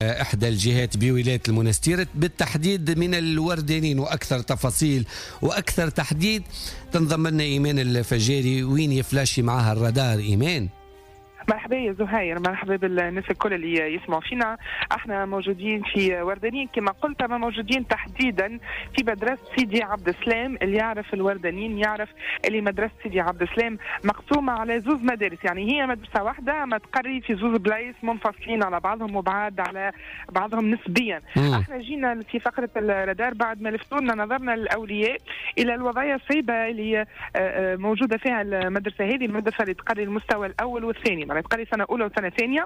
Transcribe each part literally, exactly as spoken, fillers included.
إحدى الجهات بولاية المنستير بالتحديد من الوردانين، وأكثر تفاصيل وأكثر تحديد تنضم لنا إيمان الفجاري. وين يفلاشي معها الرادار إيمان؟ مرحبا يا زهير، مرحبا بالناس الكل اللي يسمعوا فينا. احنا موجودين في وردانين كما قلت، ما موجودين تحديدا في مدرسة سيدي عبد السلام. اللي يعرف الوردانين يعرف اللي مدرسة سيدي عبد السلام مقسومة على زوز مدارس، يعني هي مدرسة واحدة ما تقري في زوز بلايص منفصلين على بعضهم وبعاد على بعضهم نسبيا. مم. احنا جينا في فقرة الرادار بعد ما لفتونا نظرنا الأولياء إلى الوضعية الصعيبة اللي موجودة فيها المدرسة هذه، المدرسة اللي تقري المستوى الأول والثاني، تقري سنة أولى وسنة ثانية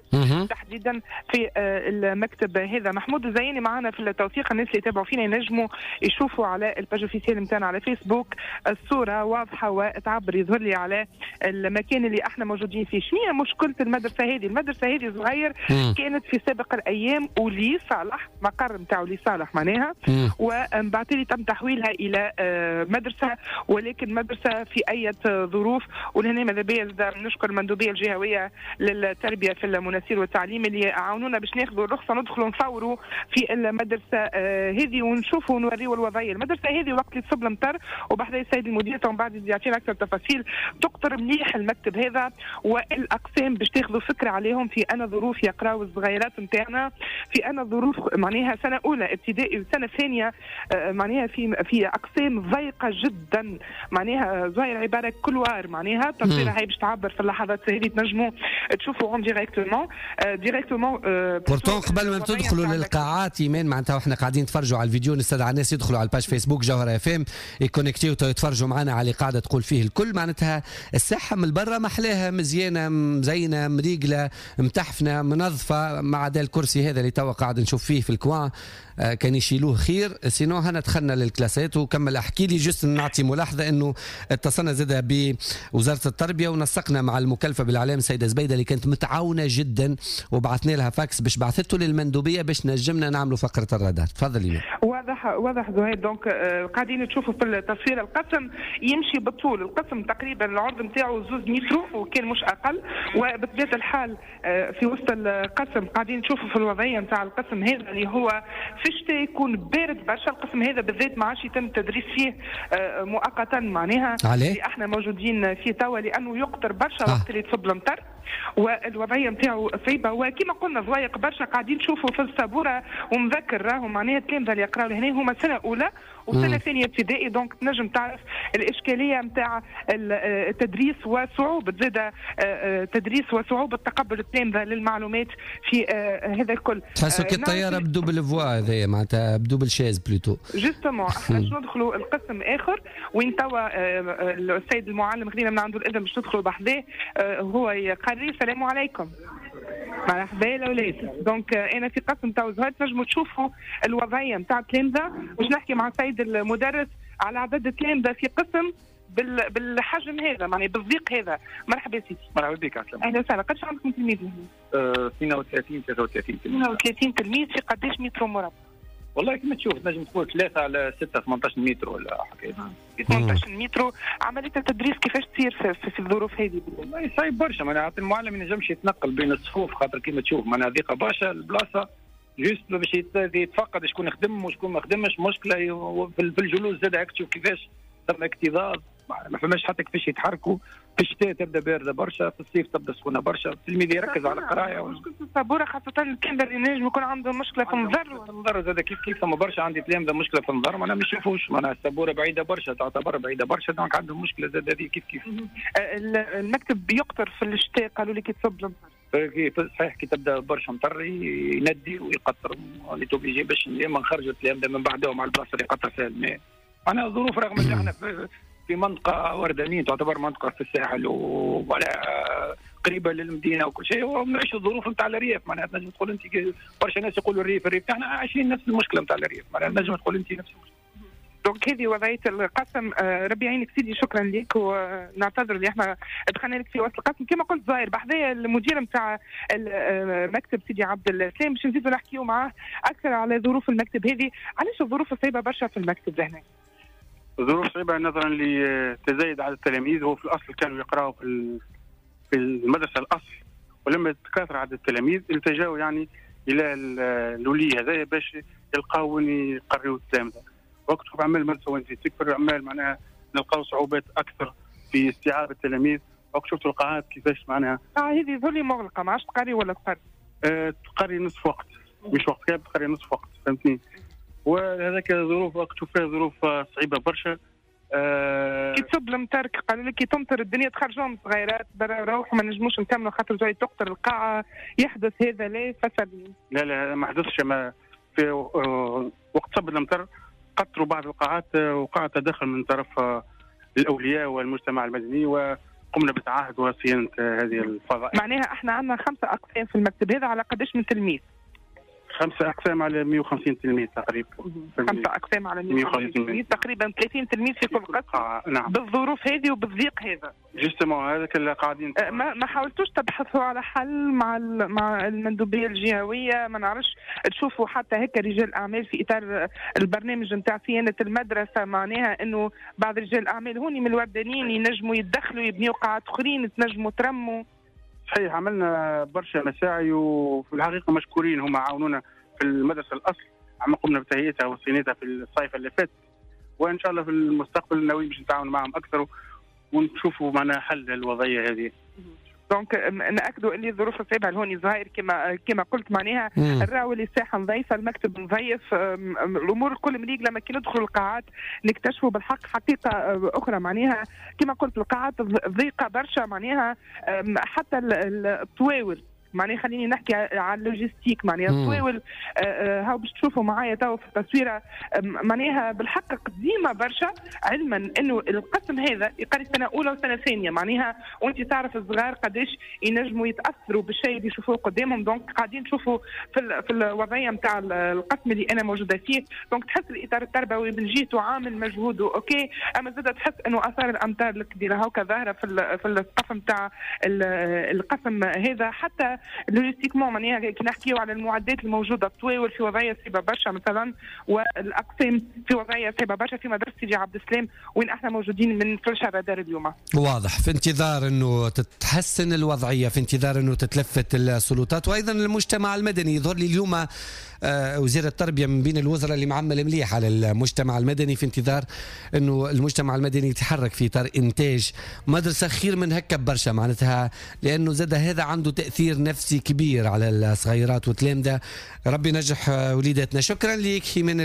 تحديدا في المكتب هذا. محمود الزياني معنا في التوثيق، الناس اللي يتابعوا فينا ينجموا يشوفوا على ال page officielle نتاعنا على فيسبوك، الصورة واضحة وتعبر يظهر لي على المكان اللي احنا موجودين فيه. شنو هي مشكلة المدرسة هذه؟ المدرسة هذه صغير كانت في سابق الأيام ولي صالح، مقر نتاع ولي صالح معناها، ومن بعد تم تحويلها إلى مدرسة، ولكن مدرسة في أي ظروف. ولهنا ماذا بيا نشكر المندوبية الجهوية للتربية في المنستير والتعليم اللي عاونونا باش ناخذوا الرخصة ندخلوا نصوروا في المدرسة هذه ونشوفوا ونوريوا الوضعية. المدرسة هذه وقت اللي تصب المطر وبحذا السيد المدير ومن بعد يعطينا اكثر تفاصيل، تقطر مليح المكتب هذا والاقسام باش تاخذوا فكرة عليهم في انا ظروف يقراوا الصغيرات نتاعنا، في انا ظروف معناها سنة اولى ابتدائي وسنة ثانية، معناها في في اقسام ضيقه جدا، معناها زاير عبارة couloir، معناها التصويره هاي باش تعبر في اللحظات هذه تنجموا تشوفوا en directement directement. pourtant قبل ما تدخلوا للقاعات ايمان، معناتها احنا قاعدين نتفرجوا على الفيديو، نستدعى الناس يدخلوا على ال page فيسبوك جوهرة اف ام يكونكتيو ويتفرجوا معنا على اللي قاعدة تقول فيه الكل. معناتها الساحة من برا محلاها، مزيانه، مزينة، مريقله، متحفنه، منظفه، ما عدا الكرسي هذا اللي توا قاعد نشوف فيه في ال coin كان يشيلوه خير. sinon هنا دخلنا للكلاسات. وكمل احكي لي juste نعطي ملاحظة انه اتصلنا زادة بوزارة التربية ونسقنا مع المكلفه بالاعلام السيدة زبيده اللي كانت متعاونة جدا، وبعثنا لها فاكس باش بعثته للمندوبيه باش نجمنا نعملوا فقره الرادار. تفضل ايمان. واضح واضح زهير. donc قاعدين تشوفوا في التصوير القسم يمشي بالطول، القسم تقريبا العرض نتاعو زوز متر وكان مش اقل، وبطبيعة الحال في وسط القسم قاعدين تشوفوا في الوضعية نتاع القسم هذا اللي هو في الشتاء يكون بارد برشا. القسم هذا بالذات ما عادش يتم التدريس فيه مؤقتا، معناها اللي احنا موجودين فيه توا لانه يقطر برشا وقت اللي تصب المطر، والوضعيه نتاعو صعيبة. وكما قلنا ضوايق برشا قاعدين نشوفوا في السبوره، ومذكر راهو معناها التلامذه اللي يقراو لهنا هما سنة اولى وسنة ثانية ابتدائي، donc تنجم تعرف الاشكالية نتاع التدريس وصعوبة زاد التدريس وصعوبة تقبل التلامذه للمعلومات في هذا الكل. تحسوا كي الطيارة ب double voie هذايا، معناتها ب double chaise plutôt. justement احنا باش ندخلوا القسم اخر وين توا السيد المعلم خلينا من عنده الاذن باش ندخلوا بحذاه هو يقري. السلام عليكم. مرحبا الاولاد. donc انا في قسم تاع زهير تنجموا تشوفوا الوضعية نتاع التلامذه، باش نحكي مع السيد المدرس على عدد التلامذه في قسم بالحجم هذا، معناها بالضيق هذا. مرحبا سيدي. مرحبا بك. عسلامة. اهلا وسهلا. قداش عندكم تلميذ هنا؟ أه اثنين وثلاثين ثلاثة وثلاثين تلميذ. اثنين وثلاثين تلميذ في قداش متر مربع؟ والله كما تشوف تنجم تقول ثلاثة على ستة ثمانية عشر متر ولا حكاية. ثمانية عشر متر. عملية التدريس كيفاش تصير في, في, في الظروف هذه؟ والله صعيب برشا، معناها المعلم ما ينجمش يتنقل بين الصفوف خاطر كما تشوف معناها ضيقه برشا البلاصة، juste باش يتفقد شكون خدم وشكون ما خدمش، مشكلة في الجلوس زاد هاك تشوف كيفاش ثم اكتظاظ، ما فماش حتى كيفاش يتحركوا. في الشتاء تبدا باردة برشا، في الصيف تبدا سخونة برشا، التلميذ يركز على القراية. مشكلة السبوره خاصة التلامذه اللي نجم يكون عندهم مشكلة في النظر. النظر زاد كيف كيف، ثم برشا عندي تلامذه مشكلة في النظر معناها ما يشوفوش، معناها السبوره بعيدة برشا، تعتبر بعيدة برشا، donc عندهم مشكلة زاد هذه كيف كيف. المكتب يقطر في الشتاء قالوا لي كي تصب المطر. صحيح كي تبدا برشا مطر يندي ويقطر، on est obligé باش اما نخرجوا التلامذه من بعدهم على البلاصة اللي يقطر فيها الماء. معناها الظروف رغم اللي احنا في منطقة وردانية تعتبر منطقة في الساحل ولا قريبة للمدينة وكل شيء، ونعيشوا الظروف نتاع الريف. معناها تنجم تقول أنت برشا ناس يقولوا الريف الريف، احنا عايشين نفس المشكلة نتاع الريف، معناها تنجم تقول أنت نفس المشكلة. donc هذه وضعية القسم. ربي يعينك سيدي، شكرا لك ونعتذر اللي احنا دخلنا لك في وسط القسم. كما قلت زاير بحذايا المدير نتاع مكتب سيدي عبد السلام باش نزيدوا نحكيو معاه أكثر على ظروف المكتب هذه. علاش الظروف صعيبة برشا في المكتب لهنا؟ الظروف صعيبة نظرا لتزايد عدد التلاميذ. هو في الأصل كانوا يقرأوا في في المدرسة الأصل، ولما تكاثر عدد التلاميذ التجاوا يعني الى الولي هذايا باش يلقاو وين يقريو التلامذه. وقت تشوف اعمال المدرسة وين تكبر اعمال معناها نلقاو صعوبات اكثر في استيعاب التلاميذ. وقت شفتوا القاعات كيفاش معناها اه هذه ذولي مغلقة ما عادش تقري ولا تقري؟ آه تقري نصف وقت، مش وقت كامل، تقري نصف وقت، فهمتني؟ وهذاك ظروف وقت تشوف فيها ظروف صعيبة برشا. آه كي تصب المطر قالوا لك كي تمطر الدنيا تخرجوهم صغيرات برا روحوا ما نجموش نكملوا خاطر جاي تقطر القاعة، يحدث هذا لا فسد؟ لا لا ما حدثش. ما في وقت صب المطر قطروا بعض القاعات، وقع تدخل من طرف الاولياء والمجتمع المدني وقمنا بتعهد وصيانة هذه الفضاء. معناها احنا عندنا خمسة اقسام في المكتب هذا على قداش من تلميذ؟ خمسة أقسام على مئة وخمسين تلميذ تقريبا. خمسة أقسام على مئة وخمسين تلميذ تقريبا، ثلاثين تلميذ في كل قسم. نعم. بالظروف هذه وبالضيق هذا. justement هذاك اللي قاعدين. ما ما حاولتوش تبحثوا على حل مع مع المندوبية الجهوية؟ ما نعرفش تشوفوا حتى هيك رجال أعمال في إطار البرنامج نتاع صيانة المدرسة، معناها إنه بعض رجال الأعمال هوني من الوردانيين ينجموا يتدخلوا يبنيوا قاعات أخرين، تنجموا ترموا. صحيح عملنا برشا مساعي وفي الحقيقة مشكورين هما عاونونا في المدرسة الاصل، عم قمنا بتهيئتها وصيانتها في الصيف اللي فات، وان شاء الله في المستقبل ناويين باش نتعاون معهم اكثر ونشوفوا معنا حل للوضعيه هذه. donc ناكدوا اللي الظروف صعيبة لهوني زهير كما كما قلت، معناها الراو اللي الساحة نظيفة، المكتب نظيف، الامور الكل مليق. لما كي ندخلوا القاعات نكتشفوا بالحق حقيقة اخرى، معناها كما قلت القاعات ضيقه برشا، معناها حتى الطواول، معناها خليني نحكي على ال logistique، معناها الطواول هاو باش تشوفوا معايا تو في التصويره، معناها بالحق قديمة برشا، علما انه القسم هذا يقري سنة اولى وسنة ثانية، معناها وانت تعرف الصغار قداش ينجموا يتاثروا بالشيء اللي يشوفوه قدامهم. donc قاعدين نشوفوا في في الوضعية نتاع القسم اللي انا موجودة فيه، donc تحس الاطار التربوي من جهته عامل مجهوده OK، اما زاد تحس انه اثار الامطار الكبيرة هاكا ظاهره في في السقف نتاع القسم هذا. حتى logistiquement معناها كي نحكيو على المعدات الموجودة، الطواول في وضعية صعيبة برشا مثلا، والاقسام في وضعية صعيبة برشا في مدرسه سيدي عبد السلام وين احنا موجودين من فرشة رادار اليوم. واضح، في انتظار انه تتحسن الوضعية، في انتظار انه تتلفت السلطات وايضا المجتمع المدني. يظهر لي اليوم وزير التربية من بين الوزراء اللي معمل مليح على المجتمع المدني، في انتظار انه المجتمع المدني يتحرك في اطار انتاج مدرسه خير من هكا برشا، معناتها لانه زاد هذا عنده تاثير نفسي كبير على الصغيرات والتلامذه. ربي ينجح وليداتنا. شكرا لك من